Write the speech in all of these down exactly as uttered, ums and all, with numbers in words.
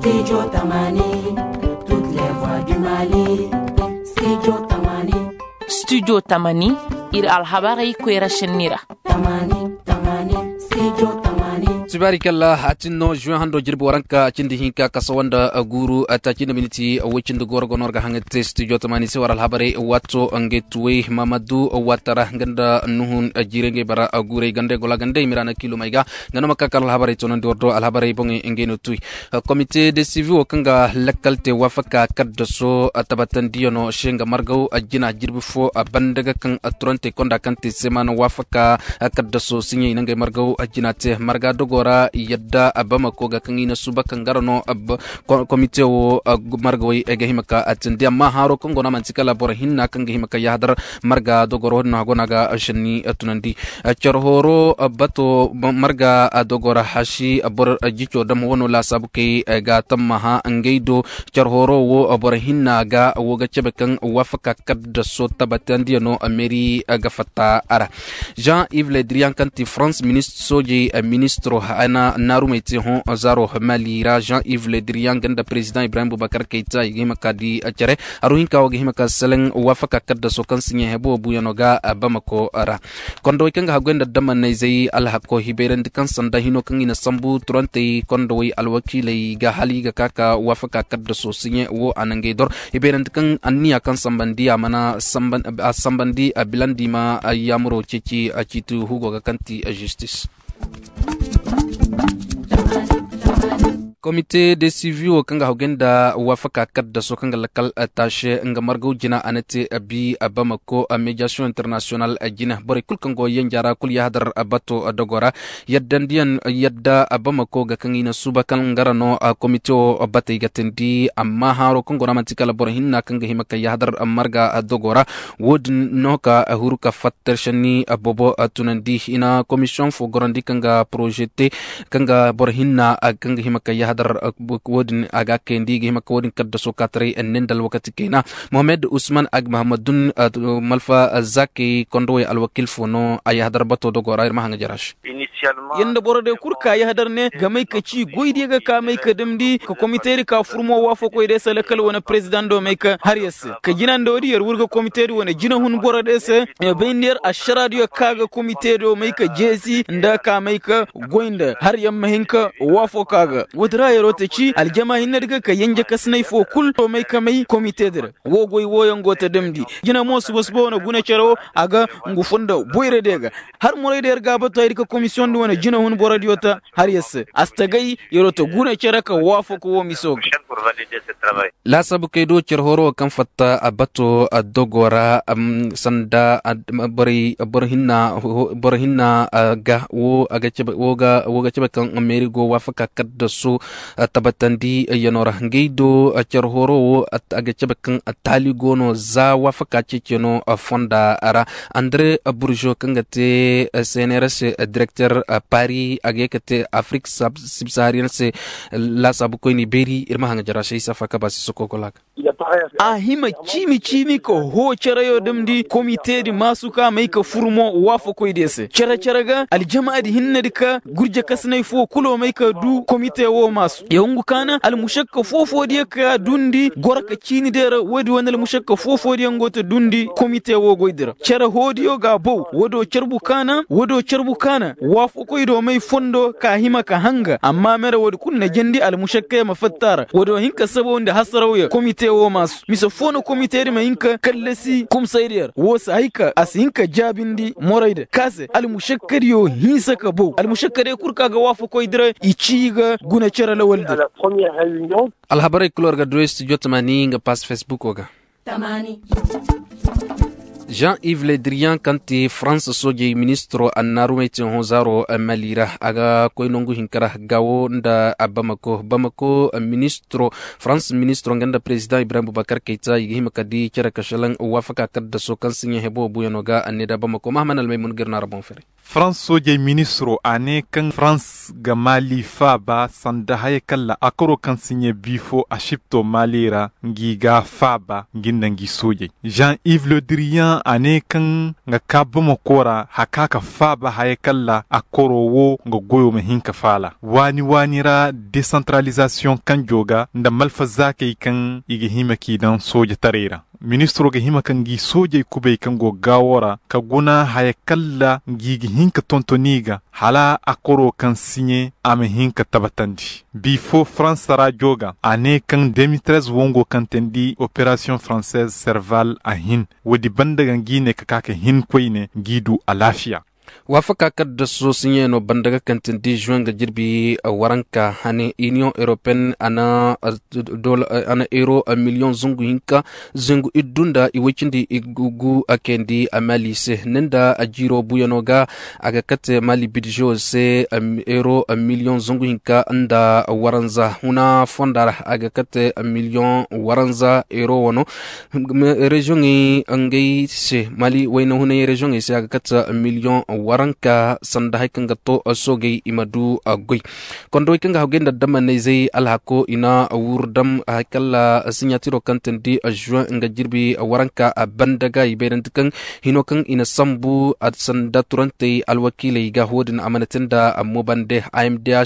Studio tamani, toutes les voix du mali. Studio tamani. Studio tamani, ir alhabarey koyra šenni ra. Tamani, tamani, studio tamani. Sibaari kalla a tin no juwe hando jirbi waranka a cindi hinka kasawa nda guuru a taaci nda miniti woy cindi gooro go no war ga haŋa te studio tamani se war alhabarey waato ngey tuwey mamadu waatara nga nda nuhun jiirey ngey bara guurey gandey gola gandey miraana kiilumey ga. Nga no ma ka kala alhabarey toonandi war do alhabarey boŋey ngey no tuy. Komite de sivi wo kaŋ ga lakkal te waafaka kaddaso tabatandiyano se nga margaw jina jirbi fo banda ga kaŋ turantey konda kaŋ te semaana waafaka kaddaso siɲey i na ngey margaw jina te marga dogo ra yadda bamako ga kaŋ i na suba kaŋ gara no. Komite wo margawey ga hima ka tindi amma haaro kaŋ go no a manti kala boro hinna kaŋ ga hima ka yahadar marga dogoro wo-din no a go no a ga senni tunandi. Care horo bato marga dogo ra hasi boro jico dam wano laasaabu kay ga tammaha ngey do. Care horo wo boro hinna ga wo ga cabe kaŋ waafaka kaddaso tabatandiyano meri ga fatta a ra. Jean Yves Le Drian kaŋ ti France ministre soojey ministro hana naarumey te hõ zaaro mali ra jean Yves Le Drian ganda président Ibrahim Boubacar Keita i ga hima ka di care. Haru hinka wo ga hima ka seleŋ waafaka kaddaso kaŋ si ɲeehebo buuyano ga bamako ra. Kondowey kaŋ ga haggoy nda damanayzey alhako hibayrandi kaŋ sanda hino kaŋ i na sambu turantey kondowey alwakiiley ga hala i ga ka ka waafaka kaddaso siɲe wo a na ngey dor. Hibayrandi kaŋ anniya kaŋ sambandi a mana sambandi a bilandi ma yaamuro ceeci a ciiti hugo ga kaŋ ti zistis. Komite de sivi wo kaŋ ga hawgay nda waafaka kaddaso kaŋ ga lakal taase nga margaw jina a na te bi bamako. Mediyasiyoŋ internasiyonal jina borey kul kaŋ go yanja ra kul yahadar bato dogo ra. Yaddandiyaŋ yadda bamako ga kaŋ i na suuba kaŋ nga ra no komite wo batey ga teendi amma haaro kaŋ go no a manti kala boro hinna kaŋ ga hima ka yahadar marga dogo ra. Wo-din no ka huru ka fatta. Tarsanni bobo tunandi i na komisiyoŋ fo gorandi kaŋ ga poroze te kaŋ ga boro hinna kaŋ ga hima ka yahadar. Wo-din a ga kayandi i ga hima ka wo-din kaddaso kaataray enne nda alwakati kayna. Mohamed usman agmahamadun malfa zakey kondowey alwakiil fo no a yahadar bato dogo ra ir ma haŋa jara se. Yer nda boro day kul ka yahadar ne ga may ka ci goy diya ga ka may ka damndi ka komite di ka furmo waafakoy day se lakkal wane perezidaŋ do may ka har yer se. Ka jina nda woodi yer wurga komite di wane jinahun boro day se. Bay nda yer ašara diyo ka ga komite do may ka jeesi nda ka may ka goy nda har yer ma hin ka waafako a ga. Woodi ra yeroo ta ci aljama hinne di ga ka yenje kasinay fo kul do may ka may komite di ra. Wo goy wooyaŋ go ta damndi jina mo suba suba wane guna cere wo a ga ngu funda boyra diya ga. Har moray da yer ga a batu haydi ka komisiyoŋ di wane jinahun boro diyo ta har yer se a si tagay yeroo ta guna cere ka waafako wo miso ga. Laasaabu kay do cere horo wo kaŋ fatta a bato a dogo ra sanda boro hinna ga wo a ga cabe kaŋ meeri go waafaka kaddaso tabatandi yano ra ngey do cere horo wo a ga cabe kaŋ taali go no za waafaka ceeceno fonda ra. Andre burjo kaŋ ga te cnrs direkter pari a ga ye ka te afrik sibsahariyan se. Laasaabu koyni beeri ir ma haŋa jara se isa fa ka ba si soko gola ga. A hima ciimi ciimi ka hoo carayo damndi komite di maasu ka may ka fur mo waafakoy diya se care care ga aljama di hinne di ka gurje kasinay fo kulo may ka du komite wo maasu ya hungu ka na almušakka foofo diya ka dundi goro ka ciini diya ra woodi wane almušakka foofo diya ngo ta dundi komite wo goy di ra care hoo diyo ga a bow woodi wo carbu ka na woodi wo carbu ka na waafakoy do may fondo ka hima ka hanga amma mere woodi kulu na jandi almušakka ya ma fatta a ra woodi wo hin ka sabawndi hasaraw ya komite wo maasu mise foo no komite di ma hin ka kallasi kumsay di ya ra woo si hay ka a si hin ka jaabindi moray di ka se almušakka diyo hinsa ka bow almušakka diyo kul ka ga waafakoy di ra i ci ga guna cere lawal di ra. Alhabarey kul war ga duray studio tamani nga pass facebook wo ga. Jean yves le drian kaŋ ti farans soojey ministiro annaarumey ti hõ zaaro mali ra a ga koy nangu hinka ra gaawo nda bamako bamako ministiro farans ministiro nga nda perezidaŋ ibrahim bubakar kayta i ga hima ka di cere ka šelaŋ waafaka kaddaso kaŋ si ɲaa hebo buuyano ga anne nda bamako mahaman almaymun ga ir no a ra boŋ fere. Farans soojey ministiro a ne kaŋ farans ga mali faaba sanda haya kaŋ ra akoro kaŋ si ɲaa biifo a sipto mali ra ngi ga faaba ngi nda ngi soojey jean yves le drian. A ne kaŋ ga ka bamako ra haka ka faaba haya kalla a koro wo nga goyo ma hin ka faala waani waani ra desantaralizasiyoŋ kanjo ga nda malfazaakey kaŋ i ga hima k'i daŋ soojataray ra. Ministiro ga hima ka ngi soojey kubay kaŋ go gaawo ra ka guna haya kalla ngi ga hin ka tontoni ga hala a koro kaŋ siɲe a ma hin ka tabatandi. Bifo faransa ra joga a ne kaŋ de mille treize wongo kaŋ teendi operasiyoŋ faranseez serval a hin. Woodi banda ga ngi ne ka ka ka hin koyne ngi du alaafiya. Waafaka kaddaso siɲeeno banda ga kaŋ teendi juwen ga jirbi waranka hane iniyoŋ europeyen a na euro miliyoŋ zungu hinka zungu iddu nda i woy cindi i gu a kayandi a mali se ne nda a jiiro buyano ga. A ga kate mali bidžo se euro miliyoŋ zungu hinka nda waranza huna fonda ra a ga kate miliyoŋ waranza euro wano. Reziyoŋey ngey se mali wayna hunay reziyoŋey se a ga kate miliyoŋ waranka sanda hari kaŋ ga to soogey i ma du goy. Kondowey kaŋ ga haggoy nda damanayzey alhako i na wurdam hari kalla siɲatiro kaŋ teendi juwen nga jirbi waranka a banda ga i bayrandi kaŋ hino kaŋ i na sambu sanda turantey alwakiiley ga wo-din a mana te nda mobande amdh,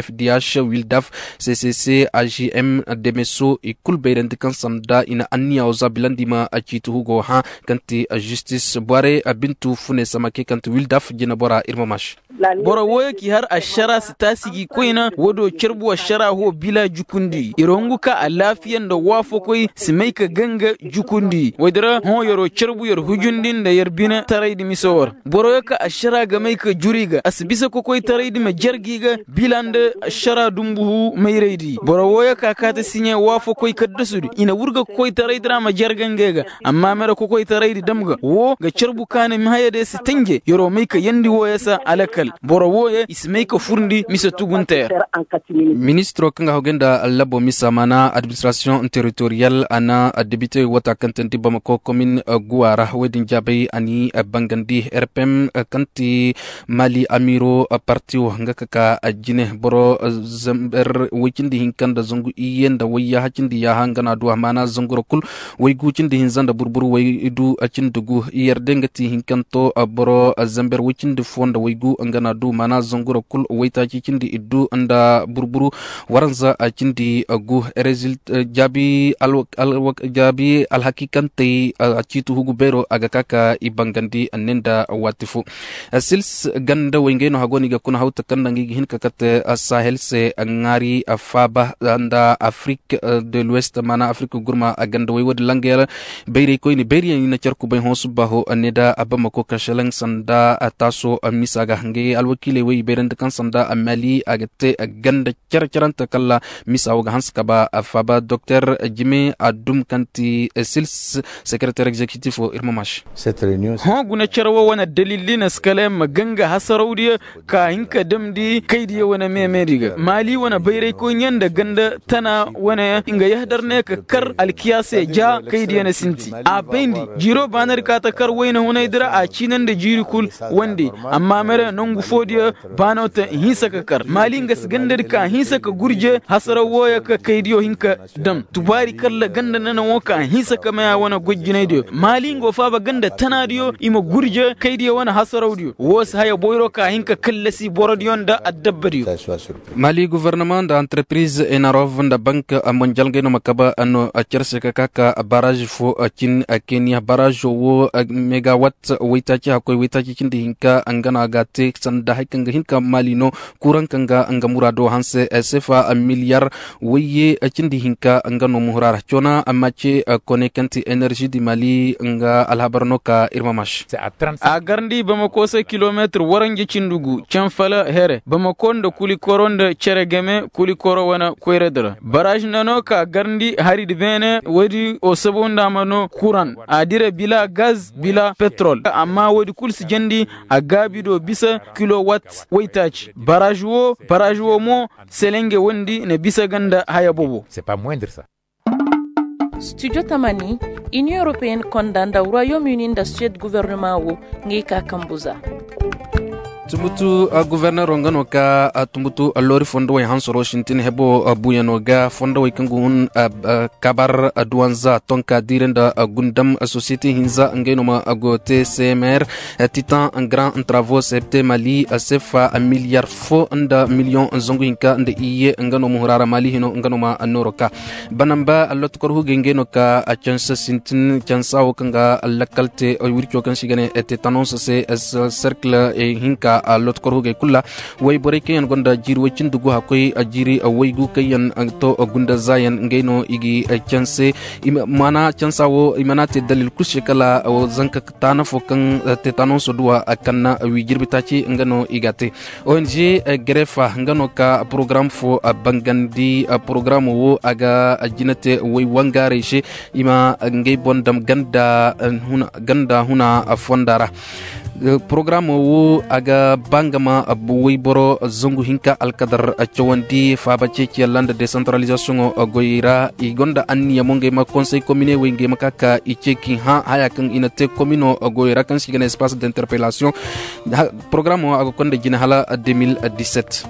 fdh wildaf, ccc, agm, demeso i kulu bayrandi kaŋ sanda i na anniya wo za bilandi ma ciiti hugo hã kaŋ ti zistis bore bintu fune samake kaŋ ti wildaf jinebora ir ma maš. Boro wooyo k'i har ašara si taasi g'i koyna woodiyo carbu ašara ho bila jukundi yer hungu ka alaafiya nda waafakoy si may ka ganga jukundi woodi ra hõ yer'o carbu yer hujundi nda yer bine taraydi mise wo ra. Boroyo ka ašara ga may ka jur i ga a si bisa kokoytaraydi ma jergi ga bila nda ašara dumbuhu mayraydi boro wooyo ka kaati siɲe waafakoy kaddasudi i na wurga kokoytaraydi ra ma jerga ngey ga. Amma mere kokoytaraydi dam ga woo ga carbu kaani ma haya day si tanje yer'o may ka yandi wooyo se alakal boro wooyo i si may ka furndi mise tugunte ra. Ministiro kaŋ ga hawgay nda allabo misa maana administrasiyoŋ teritoriyal a na debite wata kaŋ teendi bamako komin guwa ra woy din jaabay a ni bangandi rpm kaŋ ti mali amiiro parti wo nga ka ka jine boro zamber woy cindi hinka nda zangu iyye nda wayyaha cindi yaaha nga na a du a maana zanguro kul. Waygu cindi hinza nda burburu waydu cindi gu iyyer day nga ti hinkanto boro zamber way cindi fo nda waygu nga na a du maana zanguro kul waytaaci cindi iddu nda burburu waranza cindi gu. Jaabi alhakikantey a ciiti hugu beero a ga ka ka i bangandi anne nda waati fo. Sils ganda way ngey no hago no i ga kuna hawta kaŋ nda ngey ga hin ka kate sahel se ŋaari faaba nda afrik de l'ouest maana afrik gurma ganda way woodin langayaŋ. Bayray koyne bayriyaŋ i na care kubay hõ subbaaho ne da bamako ka šelaŋ sanda taaso misa ga ngey alwakiiley way i bayrandi kaŋ sanda mali a ga te ganda care carante kala misa wo ga hanse ka ba faaba doktor jime a dum kaŋ ti sils sekereteer egzekitif wo ir ma maš. Hõ guna care wo wane dalil di na si kala yaŋ ma ganga hasarawdiyo ka hin ka damndi kaydiyo wane meemedi ga maali wane bayraykoyniyaŋ nda ganda tana wane yaŋ nga yahadar ne ka kar alkiyaase ja kaydiyo na sinti a bayndi. Jiiro baanadi ka ta kar wayna hunaydi ra a ciina nda jiiri kul wande. Amma mere nongu foodiyo baano te hinsa ka kar maali nga si gandadi ka hinsa ka gurje hasaraw wooyo ka kaydiyo hin ka dam tubaari kalla ganda nana wo ka hinsa ka maya wane gojjinaydiyo maali nga wo faaba ganda tanaadiyo i ma gurje kaydiyo wane hasarawdiyo wo si haya boyro ka hin ka kallasi borodiyo nda addabbadiyo. Mali guvernama nda antarpiriz enarov nda bank monjal ngey no ma kaba no care se ka ka ka baraž fo cin keniya baražo wo megawat waytaaci hakkoy waytaaci cindi hinka nga no a ga a te sanda hari kaŋ ga hin ka mali no kuraŋ kaŋ ga nga muraado hanse sefa miliyar wayye cindi hinka nga no muhura ra coona amma ce kone kaŋ ti enerži di mali nga alhabar no ka ir ma maš. A garndi bamako se kilometir waranja cindi gu canfala here bamako nda kulikoro nda cere game kulikoro wane koyradi ra baraž nda no ka garndi haridi beene woodi o sabo nda a ma no kuran a dire bila gaz bila petrol amma woodi kul si jandi a gaabi do bisa kilowat waytaaci baraž wo baraž wo mo selenge wondi na bisa ga nda haya bobo. Studio tamani, inion europeyenne konda nda royaume uni nda suwed guvernema wo ngey ka kambu za. Tumbutu guverneero nga no ka tumbutu loori fondowey hansoro sintin hebo buyano ga fondowey kaŋ ga hun kabar duwanza tonka diire nda gundam sosiyete hinza ngey no ma go te cmr titan grand travo septe mali sefa miliyar fo nda miliyoŋ zangu hinka nda iyye nga no ma huraara mali hino nga no ma nooro ka banamba allotokor hugey ngey no ka cansa sintin cansa wo kaŋ ga lakkal te wirco kaŋ si ga ne tetanons se serkle hinka allotokor hugey kulu ra wayborey kaŋ yaŋ gonda jiiri way cindi gu hakkoy jiiri waygu kaŋ yaŋ to gunda zaayaŋ ngey no i ga canse mana cansa wo i mana te dalil kulu se kala zanka taana fo kaŋ tetanons duwa kaŋ na wi jirbi taaci nga no i ga te ong grefa nga no ka porogaram fo bangandi porogaramo wo a ga jina te way wangaarey se i ma ngey boŋ dam ganda huna fonda ra porogaramo wo a ga ba nga ma wayboro zangu hinka alkadar cawandi faaba ceeciyaŋ ra nda desantaralizasiyoŋo goyey ra i gonda anniya mo ngey ma konsey komine wey ngey ma ka ka i ceeci hã haya kaŋ i na te komino goyey ra kaŋ se i ga ne espace d'interpellation porogaramo a ga konda jine hala deux mille dix-sept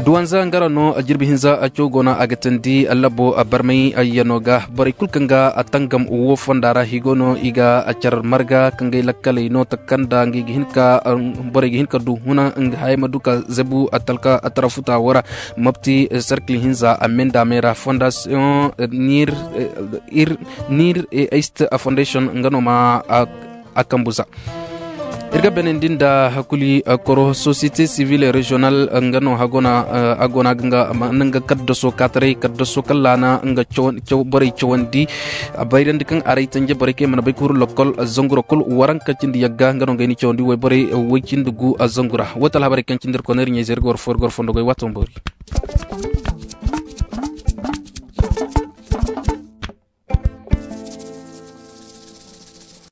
duwanza nga ra no jirbi hinza caw go no a ga tandi labo barmay yano ga borey kulu kaŋ ga tangam wo fonda ra higo no i ga car marga kaŋ gay lakkaley no taka kaŋ da ngey ga hin ka borey ga hin ka du huna hayey ma du ka zabu talka tara futa wo ra mopti cercle hinza amendamey ra fondation nir east foundation nga no ma a kambu za ir ga benandi nda hakuli koro société civile régional nga no a go no a ga nga kaddaso kaataray kaddaso kaŋ laana nga borey cawandi bayrandi kaŋ aray tanje borey kaŋ i mana bay ka huru lokol zangura kul waranka cindi yagga nga no nga ay ni cawandi wayborey way cindi gu zangura wata alhabarey kaŋ cindi ir kono ir ɲayze ir ga war fo ir ga war fondo goy waato ma boori